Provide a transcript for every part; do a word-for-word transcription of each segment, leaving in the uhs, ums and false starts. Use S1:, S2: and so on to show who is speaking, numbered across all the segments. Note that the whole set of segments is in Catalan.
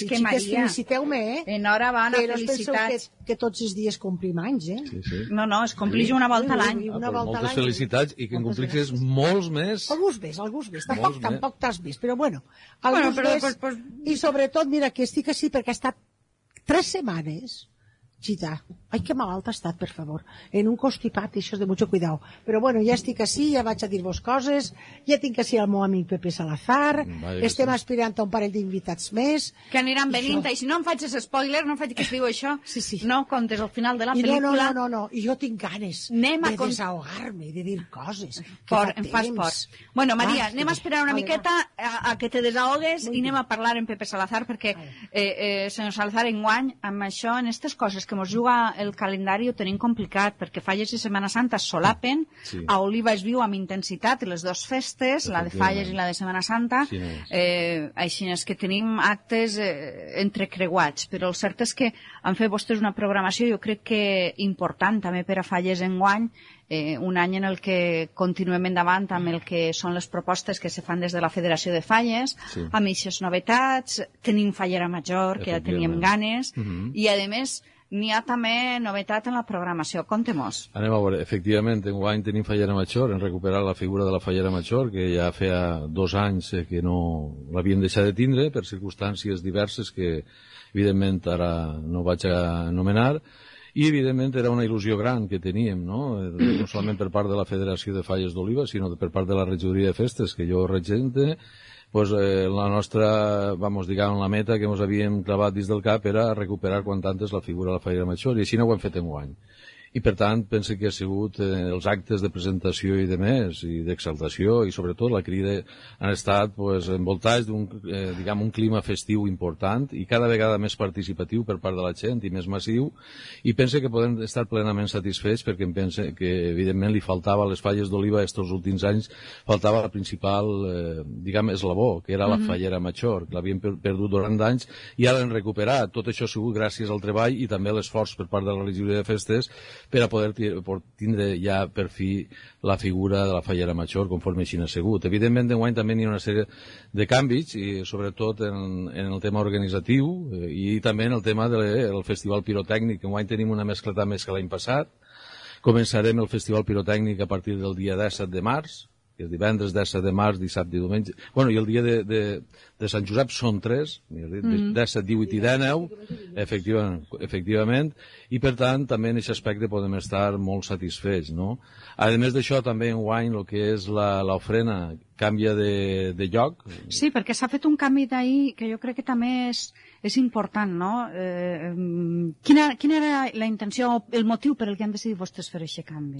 S1: és que, Maria,
S2: feliciteu-me, eh?
S1: Enhorabona,
S2: que
S1: felicitats.
S2: Que, que tots els dies complim anys, eh?
S3: Sí, sí.
S1: No, no, es complix una volta a l'any.
S2: Una
S3: Ah,
S2: volta a
S3: moltes
S2: l'any.
S3: felicitats i que en complixis molts més.
S2: Alguns més, alguns més. Tampoc,
S3: Molts més.
S2: tampoc t'has vist, però bueno.
S1: Bueno,
S2: Alguns
S1: però,
S2: més.
S1: pues, pues...
S2: I sobretot, mira, que estic així perquè ha estat tres setmanes. Gita, ai, que malalt ha estat, per favor. En un constipat, això és de mucho cuidado. Però bueno, ja estic així, ja vaig a dir-vos coses, ja tinc així el meu amic Pepe Salazar,
S3: Vaya
S2: estem
S3: sí.
S2: aspirant a un parell d'invitats més.
S1: Que aniran venint, i si no em faig spoiler, no em faig que es diu això,
S2: Sí, sí.
S1: no comptes al final de la
S2: I no,
S1: pel·lícula.
S2: no, no, no, no, i jo tinc ganes
S1: Anem a
S2: de
S1: con-
S2: desahogar-me, de dir coses. que
S1: Por,
S2: fa
S1: em fas
S2: temps.
S1: por. Bueno, Maria,
S2: Ah,
S1: anem a esperar una
S2: vale,
S1: miqueta a, a que te desahogues i anem a parlar en Pepe Salazar, perquè, eh, eh, senyor Salazar, enguany, amb això, en aquestes coses que mos juga el calendari ho tenim complicat, perquè Falles i Setmana Santa es solapen,
S3: Sí.
S1: a Oliva es viu amb intensitat les dues festes, la de Falles i la de Setmana Santa,
S3: Sí, no és.
S1: eh, així és que tenim actes eh, entrecreuats, però el cert és que han fet vostès una programació, jo crec que important també per a Falles enguany, eh, un any en el que continuem endavant amb el que són les propostes que se fan des de la Federació de Falles,
S3: Sí.
S1: amb aquestes novetats, tenim Fallera Major, que ja teníem
S3: Efectivament.
S1: ganes,
S3: Mhm.
S1: i a més n'hi ha també novetat en la programació. Contem-nos.
S3: Anem a veure, efectivament, enguany tenim Fallera Major, hem recuperat la figura de la Fallera Major, que ja feia dos anys eh, que no l'havíem deixat de tindre, per circumstàncies diverses que, evidentment, ara no vaig a anomenar, i, evidentment, era una il·lusió gran que teníem, no? Eh, no solament per part de la Federació de Falles d'Oliva, sinó per part de la Regidoria de Festes, que jo regente, pues, eh, la nostra, vamos, diguem, la meta que ens havíem clavat dins del cap era recuperar quant antes la figura de la Fallera Major, i així no ho hem fet enguany. I, per tant, penso que ha sigut eh, els actes de presentació i de més, i d'exaltació, i sobretot la crida, han estat pues, envoltats d'un eh, diguem, un clima festiu important i cada vegada més participatiu per part de la gent i més massiu, i penso que podem estar plenament satisfets perquè em penso que, evidentment, li faltava a les Falles d'Oliva estos últims anys, faltava la principal, eh, diguem, eslabó, que era la
S1: Mhm.
S3: Fallera Major, que l'havien per perdut durant anys, i ara l'hem recuperat. Tot això ha sigut gràcies al treball i també a l'esforç per part de la Regidoria de Festes per a poder tindre ja per fi la figura de la Fallera Major conforme així n'ha sigut. Evidentment, d'enguany també hi ha una sèrie de canvis, i sobretot en, en el tema organitzatiu eh, i també en el tema del Festival Pirotècnic. Enguany tenim una mescleta més que l'any passat. Començarem el Festival Pirotècnic a partir del dia disset de març, que és divendres, disset de març, dissabte i diumenge. Bueno, i el dia de, de, de Sant Josep són tres,
S1: Mhm.
S3: disset, divuit i dinou, efectivament, efectivament, i per tant també en aquest aspecte podem estar molt satisfets, no? A més d'això, també enguany el que és la- l'ofrena canvia de, de lloc.
S1: Sí, perquè s'ha fet un canvi d'ahir que jo crec que també és, és important, no? Eh, em, quina, quina era la intenció, el motiu per el que han decidit vostès fer aquest canvi?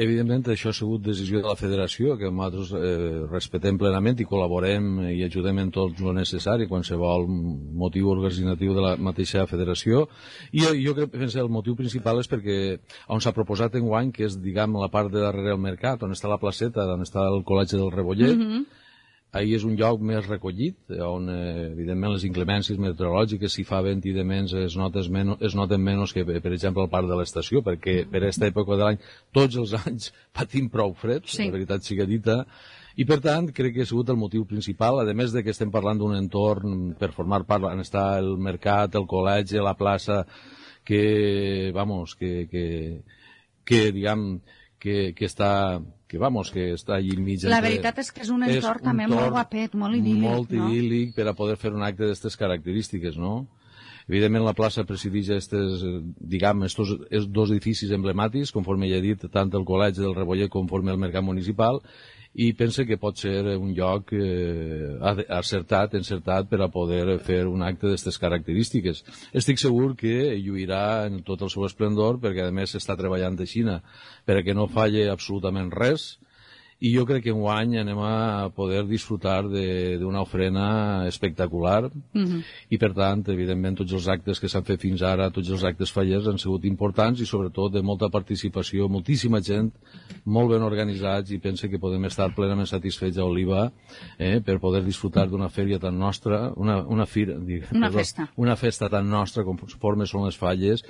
S3: Evidentment, això ha sigut decisió de la federació, que nosaltres eh, respetem plenament i col·laborem i ajudem en tot el necessari, qualsevol motiu organitzatiu de la mateixa federació. I jo, jo crec que el motiu principal és perquè on s'ha proposat enguany, que és, diguem, la part de darrere del mercat, on està la placeta, on està el col·legi del Rebollet,
S1: Mm -hmm.
S3: ahir és un lloc més recollit, on, eh, evidentment, les inclemències meteorològiques, si fa vent i de menys, es, notes menys, es noten menys que, per exemple, al parc de l'estació, perquè per aquesta època de l'any, tots els anys patim prou fred,
S1: Sí.
S3: la veritat siga dita, i per tant crec que ha sigut el motiu principal, a més de que estem parlant d'un entorn per formar part, on està el mercat, el col·legi, la plaça, que, vamos, que, que, que diguem, que, que està que vamos, que està allí enmig.
S1: La
S3: entre-
S1: veritat és que és un entorn
S3: un
S1: també molt
S3: entorn
S1: guapet, molt idíl·lic,
S3: molt
S1: no?
S3: idíl·lic per a poder fer un acte d'aquestes característiques, no? Evidentment, la plaça presideix estes, eh, diguem, estos, estos dos edificis emblemàtics, conforme ja he dit, tant el col·legi del Rebollet conforme el mercat municipal, i pense que pot ser un lloc eh, acertat, encertat per a poder fer un acte d'aquestes característiques. Estic segur que lluirà en tot el seu esplendor, perquè a més s'està treballant de Xina per a que no falle absolutament res, i jo crec que enguany anem a poder disfrutar d'una ofrena espectacular,
S1: Mm -hmm.
S3: i per tant, evidentment, tots els actes que s'han fet fins ara, tots els actes fallers han sigut importants i sobretot de molta participació, moltíssima gent, molt ben organitzats, i penso que podem estar plenament satisfets a Oliva eh, per poder disfrutar d'una fèria tan nostra, una, una fira, dic,
S1: Una
S3: perdó,
S1: festa.
S3: una festa tan nostra conforme són les falles,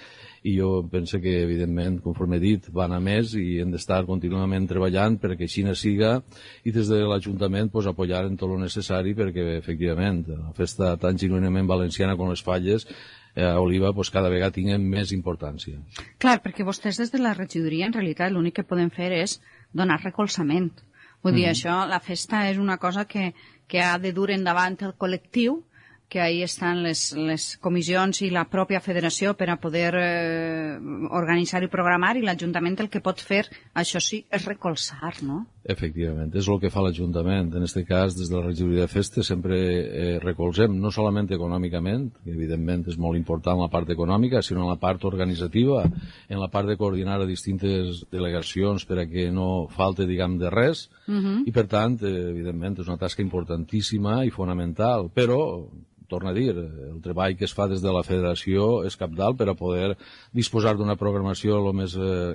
S3: i jo penso que, evidentment, conforme he dit, van a més i hem d'estar contínuament treballant perquè així ne siga i des de l'Ajuntament pues, apoyar en tot el necessari perquè, efectivament, la festa tan genuïnament valenciana com les falles a Oliva pues, cada vegada tinguen més importància.
S1: Clar, perquè vostès des de la regidoria en realitat l'únic que poden fer és donar recolzament. Vull dir, mm. això, la festa és una cosa que, que ha de dur endavant el col·lectiu, que ahí estan les, les comissions i la pròpia federació per a poder eh, organitzar i programar, i l'Ajuntament el que pot fer, això sí, és recolzar, no?
S3: Efectivament, és el que fa l'Ajuntament. En aquest cas, des de la regidoria de festes sempre eh, recolzem, no solament econòmicament, que evidentment és molt important la part econòmica, sinó en la part organitzativa, en la part de coordinar a distintes delegacions per a que no falte, diguem, de res, uh-huh. i per tant, eh, evidentment, és una tasca importantíssima i fonamental, però torna a dir, el treball que es fa des de la federació és cabdal per a poder disposar d'una programació el més eh,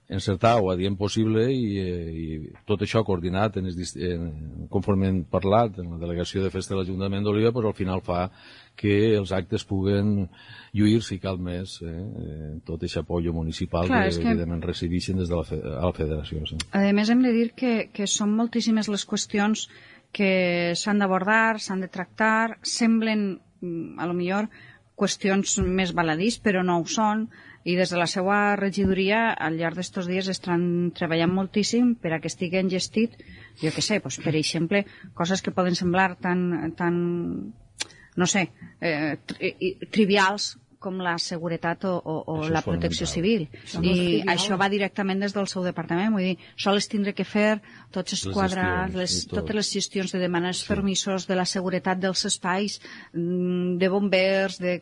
S3: encertada o adient possible i, eh, i tot això coordinat en es, en, conforme hem parlat en la delegació de festa de l'Ajuntament d'Oliva, pues, al final fa que els actes puguen lluir, si cal més, eh, tot aquest apoyo municipal Clar, que, que evidentment recibeixen des de la, fe, a la federació. Sí.
S1: A més, hem de dir que, que són moltíssimes les qüestions que s'han d'abordar, s'han de tractar, semblen, a lo millor, qüestions més baladís, però no ho són, i des de la seva regidoria, al llarg d'estos dies, estan treballant moltíssim per a que estiguen gestit, jo què sé, doncs, per exemple, coses que poden semblar tan, tan no sé, eh, tri trivials, com la seguretat o, o, o la protecció civil. I això va directament des del seu departament. Vull dir, sols tindre que fer tots els quadrats, les, totes les gestions de demanar els sí. permisos, de la seguretat dels espais, de bombers, de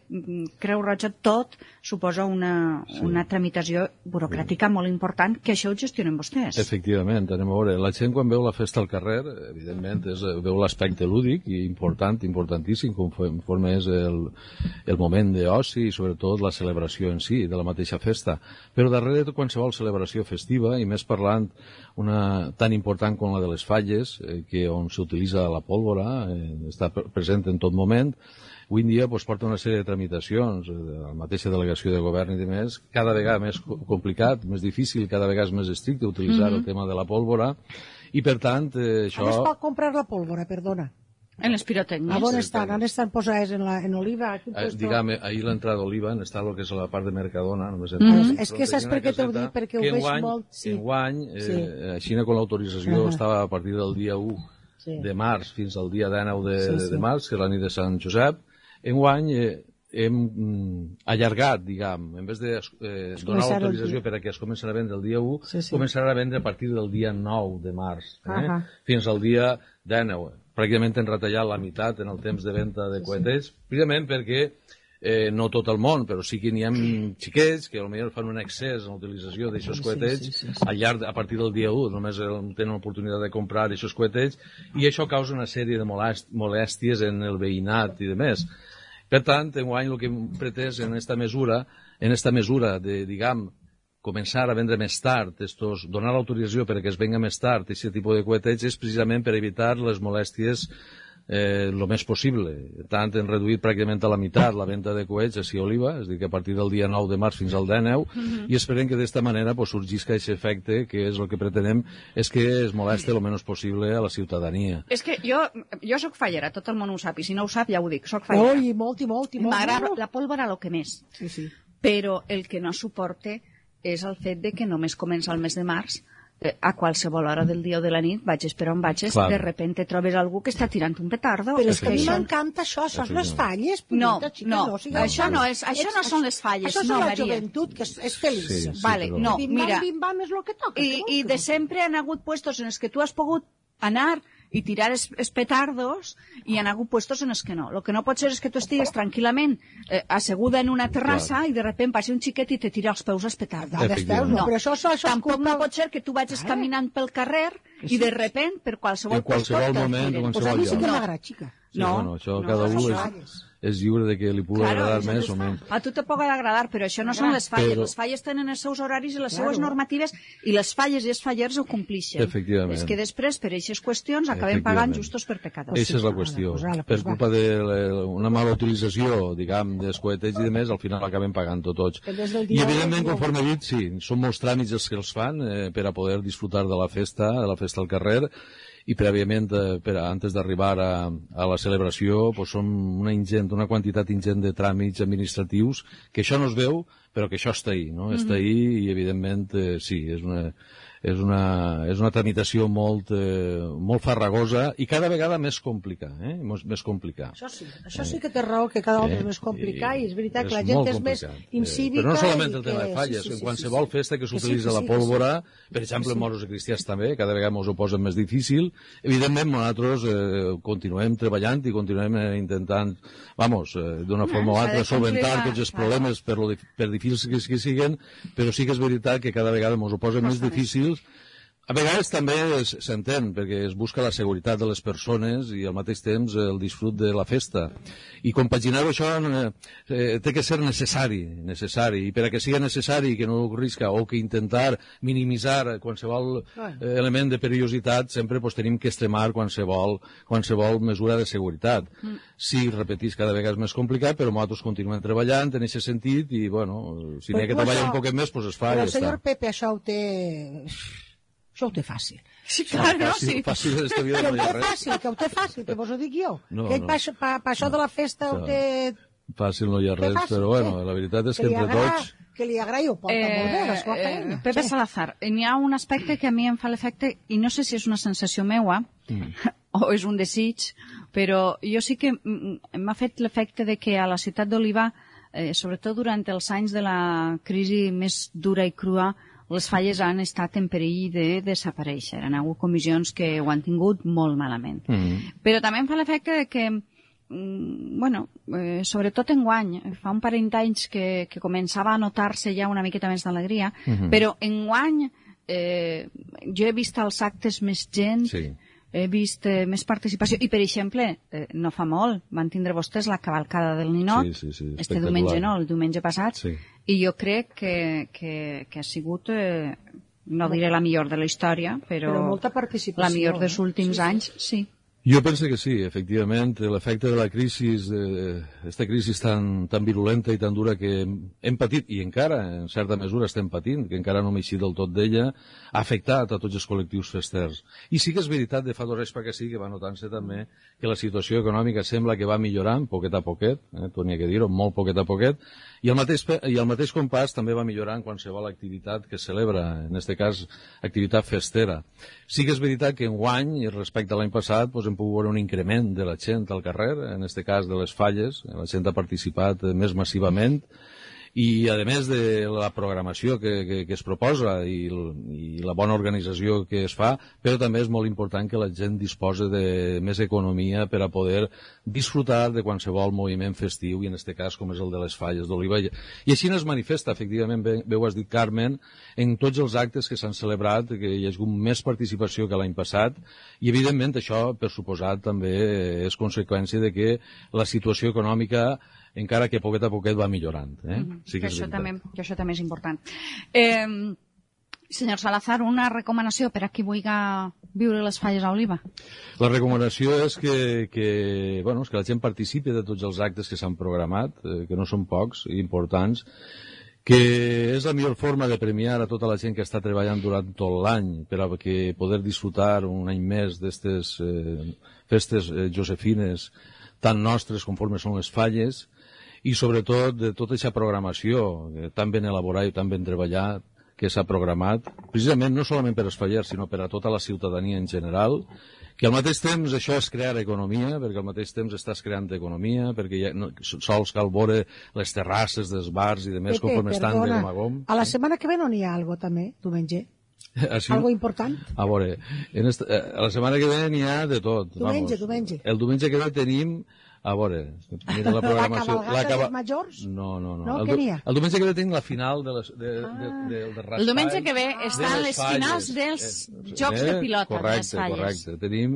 S1: Creu Roja, tot suposa una, sí. una tramitació burocràtica sí. molt important, que això ho gestionen vostès.
S3: Efectivament, anem a veure. La gent quan veu la festa al carrer, evidentment, és, veu l'aspecte lúdic i important, importantíssim, conforme és el, el moment d'oci i sobretot la celebració en si de la mateixa festa. Però darrere de qualsevol celebració festiva, i més parlant una tan important com la de les falles, eh, que on s'utilitza la pólvora, eh, està present en tot moment, avui en dia pues, porta una sèrie de tramitacions, eh, la mateixa delegació de govern i demés, cada vegada més complicat, més difícil, cada vegada més estricte utilitzar mm-hmm. el tema de la pólvora, i per tant eh, això...
S2: On es pot comprar la pólvora, perdona?
S1: En les pirotècnies.
S2: A on estan? On estan posades? En, la, en Oliva?
S3: Eh, Diguem, ahir l'entrada d'Oliva està el que és la part de Mercadona. No
S2: mm -hmm. És que saps per què t'ho dic? Perquè ho veig
S3: enguany,
S2: molt... Sí.
S3: Enguany, eh, sí. així com l'autorització uh -huh. estava a partir del dia u sí. de març fins al dia dinou de, sí, sí. de març, que és la nit de Sant Josep, enguany eh, hem mm, allargat, diguem, en vez de eh, donar l'autorització per a que es començarà a vendre el dia u, sí, sí. començarà a vendre a partir del dia nou de març, eh, uh -huh. fins al dia dinou. Pràcticament han retallat la meitat en el temps de venda de coetets, precisament perquè eh, no tot el món, però sí que n'hi ha xiquets que potser fan un excés en l'utilització d'aixòs coetets sí, sí, sí, sí. al llarg, a partir del dia u, només tenen l'oportunitat de comprar d'aixòs coetets, i això causa una sèrie de molèsties en el veïnat i demés. Per tant, enguany el que hem pretès en esta mesura, en esta mesura de, diguem, començar a vendre més tard, estos, donar l'autorització perquè es venga més tard, aquest tipus de coetets, és precisament per evitar les molèsties eh, el més possible. Tant hem reduït pràcticament a la meitat la venda de coets així a Oliva, és a dir, que a partir del dia nou de març fins al dinou, mm-hmm. i esperem que d'esta manera pues, sorgisca aquest efecte, que és el que pretenem, és que es moleste el menys possible a la ciutadania.
S1: És que jo, jo sóc fallera, tot el món ho sap, i si no ho sap ja ho dic, sóc fallera.
S2: Ui, molt i molt i molt.
S1: M'agrada la pólvora el que més.
S2: Sí, sí.
S1: Però el que no suporte és el fet de que només comença el mes de març, eh, a qualsevol hora del dia o de la nit, vagis per on vagis, Clar. de repente trobes algú que està tirant un petardo.
S2: Però és que a mi m'encanta això, això són les falles.
S1: No, no, no això no, és, això no són les falles,
S2: això
S1: no,
S2: és la
S1: Maria.
S2: joventut, que és, és feliç.
S3: Sí, sí,
S1: vale,
S3: però...
S1: no,
S2: bim,
S1: mira,
S2: bim, bam, és lo que toca,
S1: i, i de sempre han hagut puestos en els que tu has pogut anar i tirar els, els petardos, i hi ha hagut puestos en els que no. El que no pot ser és que tu estigues tranquil·lament eh, asseguda en una terrassa Clar. i de repente passi un xiquet i te tira els peus als petards.
S2: No, no. Però això, això, això
S1: Tampoc
S2: culpa...
S1: no pot ser que tu vagis ah. caminant pel carrer i de repente, per qualsevol,
S3: en qualsevol moment, en
S2: pues
S3: qualsevol
S2: a mi sí que
S3: lloc.
S2: m'agrada, xica.
S3: Sí,
S1: no,
S3: bueno, això
S1: no,
S3: cada
S1: no,
S3: un
S1: no,
S3: és, és lliure de que li pugui
S1: Claro,
S3: agradar
S1: això
S3: més
S1: no
S3: o
S1: està.
S3: menys.
S1: A tu te pot agradar, però això no són les falles.
S3: Però-
S1: Les falles tenen els seus horaris i les
S2: Claro.
S1: seues normatives, i les falles i els fallers ho complixen.
S3: Efectivament.
S1: És que després, per aquestes qüestions, acabem pagant justos per pecadors.
S3: Eixa és la
S2: sí,
S3: qüestió.
S2: pues ala,
S3: Per
S2: pues va.
S3: culpa d'una mala utilització, diguem, dels coetets i de més, al final acabem pagant-ho tots.
S2: Que des del
S3: I
S2: dia
S3: evidentment,
S2: u-
S3: conforme he dit, sí, són molts tràmits els que els fan eh, per a poder disfrutar de la festa, de la festa al carrer, i prèviament, eh, per a, antes d'arribar a, a la celebració, pues, són una ingent, una quantitat ingent de tràmits administratius, que això no es veu, però que això està ahí, no? Mm-hmm. Està ahí i, evidentment, eh, sí, és una, és una, és una tramitació molt, eh, molt farragosa i cada vegada més complicada, eh? Més, més complicada.
S2: Això sí, això sí que té raó, que cada volta és més complicat, i és veritat que la gent
S3: molt
S2: és més
S3: complicat.
S2: incívica.
S3: Però no solament
S2: i
S3: el tema
S2: que-
S3: de falles,
S2: sí, sí,
S3: en
S2: sí,
S3: qualsevol
S2: sí, sí.
S3: festa que
S2: Que sí,
S3: s'utilitza
S2: que
S3: la
S2: sí,
S3: pólvora, per exemple, en moros i cristians també, cada vegada ens ho posen més difícil. Evidentment, nosaltres eh, continuem treballant i continuem eh, intentant, vamos, eh, d'una forma o
S1: s'ha de
S3: altra, solventar
S1: complir,
S3: tots els
S1: clar.
S3: problemes, per, lo, dif- per difícils que, que siguen, però sí que és veritat que cada vegada ens ho posen més difícils. A vegades també es- s'entén, perquè es busca la seguretat de les persones i al mateix temps el disfrut de la festa. I compaginar-ho això eh, eh, té que ser necessari, necessari. I per a que sigui necessari, que no risca, o que intentar minimitzar qualsevol eh, element de perillositat, sempre pues, tenim que extremar qualsevol, qualsevol mesura de seguretat. Mm. Sí, repetís, cada vegada és més complicat, però nosaltres continuem treballant en aquest sentit i, bueno, si n'hi ha que
S2: Però tu
S3: treballar
S2: això-
S3: un poquet més, pues es fa
S2: Però
S3: i
S2: el
S3: ja
S2: senyor
S3: està.
S2: Pepe això ho té... Això ho té fàcil.
S1: Sí, clar, no?
S3: Fàcil,
S1: Sí.
S3: fàcil d'esta vida
S2: Que
S3: no
S2: ho
S3: hi ha
S2: té
S3: res.
S2: fàcil, que ho té fàcil, que vos ho dic jo.
S3: No,
S2: que ell
S3: no.
S2: pa, pa, pa això de la festa ho té...
S3: Fàcil no hi ha
S2: té
S3: res,
S2: fàcil,
S3: però bueno,
S2: què?
S3: la veritat és que
S2: li
S3: entre
S2: agrada-
S3: tots...
S2: Que li agradi ho porta molt bé, la seva feina.
S1: Pepe
S2: Sí.
S1: Salazar, n'hi ha un aspecte que a mi em fa l'efecte, i no sé si és una sensació meua, mm. o és un desig, però jo sí que mm, m'ha fet l'efecte de que a la ciutat d'Oliva, eh, sobretot durant els anys de la crisi més dura i crua, les falles han estat en perill de desaparèixer. Han hagut comissions que ho han tingut molt malament.
S3: Mm.
S1: Però també em fa l'efecte de que, mm, bueno, eh, sobretot en guany, fa un parell d'anys que, que començava a notar-se ja una miqueta més d'alegria,
S3: Mhm.
S1: però en guany eh, jo he vist als actes més gent,
S3: Sí.
S1: he vist eh, més participació, i per exemple, eh, no fa molt, van tindre vostès la cavalcada del Ninot,
S3: Sí, sí, sí,
S1: este
S3: espectacular.
S1: diumenge no, el diumenge passat,
S3: Sí.
S1: i jo crec que, que, que ha sigut, eh, no diré la millor de la història, però,
S2: Però molta participació,
S1: la millor dels
S2: eh?
S1: últims
S2: Sí, sí.
S1: anys, sí.
S3: Jo penso que sí, efectivament, l'efecte de la crisi, aquesta crisi tan, tan virulenta i tan dura que hem, hem patit, i encara, en certa mesura, estem patint, que encara no hem eixit del tot d'ella, ha afectat a tots els col·lectius festers. I sí que és veritat, de fa dos anys perquè sí, que va notant-se també que la situació econòmica sembla que va millorant, poquet a poquet, eh, tu n'hi ha que dir-ho, molt poquet a poquet, i al mateix, pe- i al mateix compàs també va millorant qualsevol activitat que celebra, en aquest cas, activitat festera. Sí que és veritat que enguany, i respecte a l'any passat, doncs, hem pogut veure un increment de la gent al carrer, en aquest cas de les falles, la gent ha participat eh, més massivament, i a més de la programació que, que, que es proposa i, i la bona organització que es fa, però també és molt important que la gent disposi de més economia per a poder disfrutar de qualsevol moviment festiu, i en aquest cas com és el de les falles d'Oliva. I així es manifesta, efectivament, bé, bé ho has dit, Carmen, en tots els actes que s'han celebrat, que hi ha hagut més participació que l'any passat, i evidentment això, per suposat, també és conseqüència de que la situació econòmica, encara que poquet a poquet va millorant. Eh?
S1: Mm -hmm.
S3: Sí
S1: que,
S3: que és
S1: això
S3: veritat.
S1: també, que això també és important. Eh, senyor Salazar, una recomanació per a qui vulgui viure les falles a Oliva?
S3: La recomanació és que, que, bueno, és que la gent participi de tots els actes que s'han programat, eh, que no són pocs i importants, que és la millor forma de premiar a tota la gent que està treballant durant tot l'any per a que poder disfrutar un any més d'aquestes eh, festes eh, josefines tan nostres conforme són les falles, i sobretot de tota aquesta programació eh, tan ben elaborada i tan ben treballat que s'ha programat, precisament no solament per als fallers, sinó per a tota la ciutadania en general, que al mateix temps això és crear economia, perquè al mateix temps estàs creant economia, perquè ja no, sols cal veure les terrasses dels bars i de més
S2: Pepe,
S3: conforme estan de
S2: perdona,
S3: gom a gom.
S2: a la setmana que ve no n'hi ha algo també, diumenge?
S3: Així,
S2: Algo important?
S3: a veure, en esta, a la setmana que ve n'hi ha de tot.
S2: Diumenge,
S3: vamos.
S2: diumenge.
S3: El diumenge que ve tenim A veure, mira la programació...
S2: La cabalgata dels majors?
S3: No, no, no.
S2: No,
S3: el,
S2: què n'hi ha?
S3: El diumenge que ve tinc la final de, les, de, ah. de, de, de raspall.
S1: El diumenge que ve estan les finals dels
S3: eh,
S1: Jocs
S3: eh,
S1: de pilota,
S3: correcte,
S1: de les falles.
S3: Correcte, tenim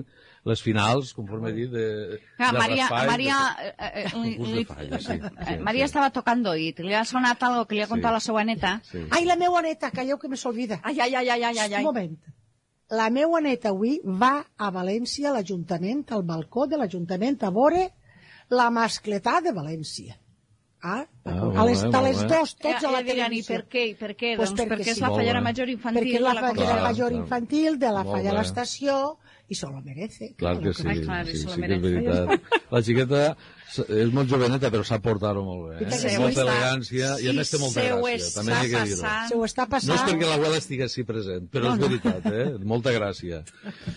S3: les finals, conforme he dit, de,
S1: Clar,
S3: de
S1: Maria,
S3: raspall.
S1: Maria,
S3: de,
S1: eh, li,
S3: concurs
S1: li,
S3: de falles, sí, sí,
S1: Maria
S3: sí.
S1: estava tocant d'oït, li ha sonat algo que li ha contat
S3: Sí.
S1: la seva neta.
S3: Sí.
S2: Ai, la meua neta, calleu que me s'olvida.
S1: Ai, ai, ai, ai, ai, ai.
S2: Un moment. La meua neta avui va a València, a l'Ajuntament, al balcó de l'Ajuntament, a veure la mascletà de València. Ah,
S3: Ah,
S2: a les,
S3: molt bé,
S2: a les
S3: molt bé.
S2: dos, tots a la
S1: Ja diran, i
S2: televisió.
S1: per què? I per què?
S2: Pues
S1: Doncs
S2: perquè
S1: perquè és
S2: sí.
S1: la
S3: Molt
S1: fallera
S3: bé.
S1: major infantil
S2: Perquè és
S1: de
S2: la
S1: la
S2: fallera
S1: comarca.
S3: Clar,
S2: major
S3: clar.
S2: infantil de la
S3: Molt
S2: falla a
S3: bé.
S2: l'estació i se lo merece.
S3: Clar que sí,
S1: Ai, clar,
S3: sí,
S1: se
S3: sí,
S1: lo
S3: sí que és
S1: merece.
S3: veritat. La xiqueta és molt joveneta, però s'ha portat molt bé. Eh?
S2: Sí,
S3: Amb
S2: ho
S3: molta
S2: està.
S3: elegància i a més té molta
S1: se ho
S3: gràcia. També n'hi ha que dir-ho.
S1: passant.
S2: Se ho està
S3: No és
S2: passant.
S3: perquè l'abuela estigui així present, però
S2: No,
S3: és
S2: no.
S3: veritat, eh? Molta gràcia.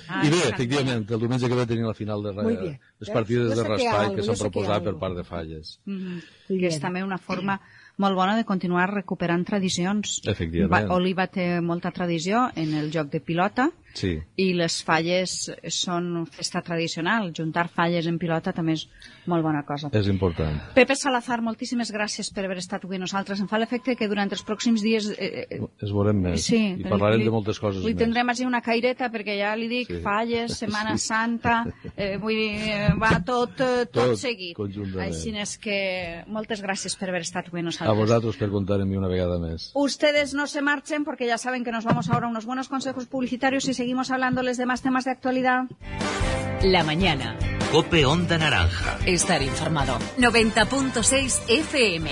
S1: Ai,
S3: I bé,
S1: que
S3: efectivament, el diumenge que ve tenim la final de
S2: Muy bien.
S3: les partides
S2: Jo
S3: de
S2: sé que hi ha
S3: raspall
S2: algo,
S3: que
S2: jo
S3: s'han
S2: sé que hi ha
S3: proposat per
S2: algo.
S3: part de Falles.
S1: Mhm.
S2: Muy
S1: Que és
S2: bien.
S1: també una forma molt bona de continuar recuperant tradicions.
S3: Efectivament.
S1: Va, Oliva té molta tradició en el joc de pilota
S3: Sí.
S1: i les falles són festa tradicional. Juntar falles en pilota també és molt bona cosa.
S3: És important.
S1: Pepe Salazar, moltíssimes gràcies per haver estat avui amb nosaltres. Em fa l'efecte que durant els pròxims dies... Eh, eh,
S3: Es veurem més.
S1: sí,
S3: I parlarem
S1: li,
S3: de moltes coses
S1: li
S3: més.
S1: tindrem així una caireta perquè ja li dic
S3: Sí.
S1: falles, Setmana
S3: Sí.
S1: Santa, eh, vull dir, eh, va tot, eh, tot,
S3: Tot
S1: seguit.
S3: conjuntament.
S1: Així és que moltes gràcies per haver estat avui amb
S3: A
S1: nosaltres.
S3: vosaltres per contar en mi una vegada més.
S1: Ustedes no se marchen porque ya saben que nos vamos ahora a unos buenos consejos publicitarios y seguimos hablándoles de más temas de actualidad.
S4: La mañana.
S5: Cope Onda Naranja.
S4: Estar informado. noventa punto seis F M.